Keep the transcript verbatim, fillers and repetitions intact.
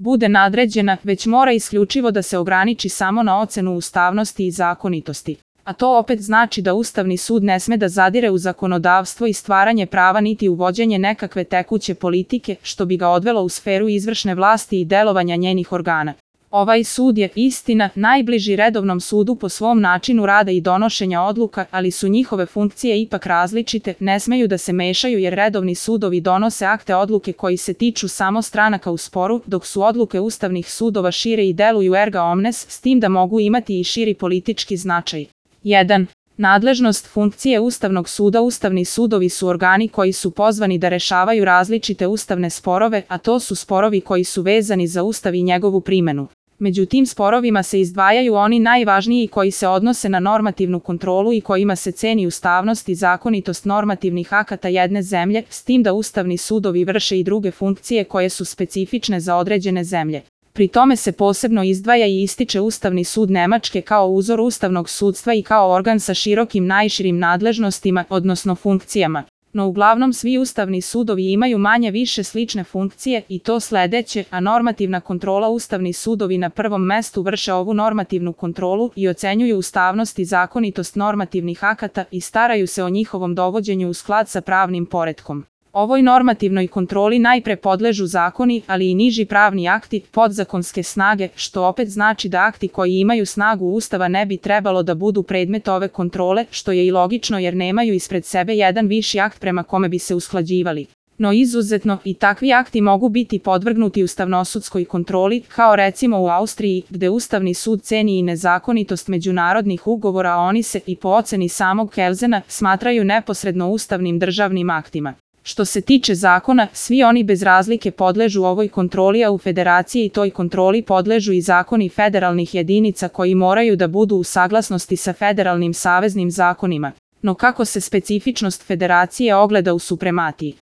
bude nadređena, već mora isključivo da se ograniči samo na ocenu ustavnosti i zakonitosti. A to opet znači da Ustavni sud ne sme da zadire u zakonodavstvo i stvaranje prava niti uvođenje nekakve tekuće politike, što bi ga odvelo u sferu izvršne vlasti i delovanja njenih organa. Ovaj sud je, istina, najbliži redovnom sudu po svom načinu rada i donošenja odluka, ali su njihove funkcije ipak različite, ne smeju da se mešaju jer redovni sudovi donose akte odluke koji se tiču samo stranaka u sporu, dok su odluke ustavnih sudova šire i deluju erga omnes, s tim da mogu imati i širi politički značaj. jedan. Nadležnost funkcije Ustavnog suda. Ustavni sudovi su organi koji su pozvani da rešavaju različite ustavne sporove, a to su sporovi koji su vezani za Ustav i njegovu primenu. Među tim sporovima se izdvajaju oni najvažniji koji se odnose na normativnu kontrolu i kojima se ceni ustavnost i zakonitost normativnih akata jedne zemlje, s tim da ustavni sudovi vrše i druge funkcije koje su specifične za određene zemlje. Pri tome se posebno izdvaja i ističe Ustavni sud Nemačke kao uzor ustavnog sudstva i kao organ sa širokim najširim nadležnostima, odnosno funkcijama. No uglavnom svi ustavni sudovi imaju manje više slične funkcije i to sledeće, a normativna kontrola. Ustavni sudovi na prvom mestu vrše ovu normativnu kontrolu i ocenjuju ustavnost i zakonitost normativnih akata i staraju se o njihovom dovođenju u sklad sa pravnim poretkom. Ovoj normativnoj kontroli najpre podležu zakoni, ali i niži pravni akti, podzakonske snage, što opet znači da akti koji imaju snagu Ustava ne bi trebalo da budu predmet ove kontrole, što je i logično jer nemaju ispred sebe jedan viši akt prema kome bi se usklađivali. No izuzetno, i takvi akti mogu biti podvrgnuti ustavnosudskoj kontroli, kao recimo u Austriji, gde Ustavni sud ceni i nezakonitost međunarodnih ugovora, a oni se, i po oceni samog Kelzena, smatraju neposredno ustavnim državnim aktima. Što se tiče zakona, svi oni bez razlike podležu ovoj kontroli, a u federaciji toj kontroli podležu i zakoni federalnih jedinica koji moraju da budu u saglasnosti sa federalnim saveznim zakonima. No kako se specifičnost federacije ogleda u suprematiji?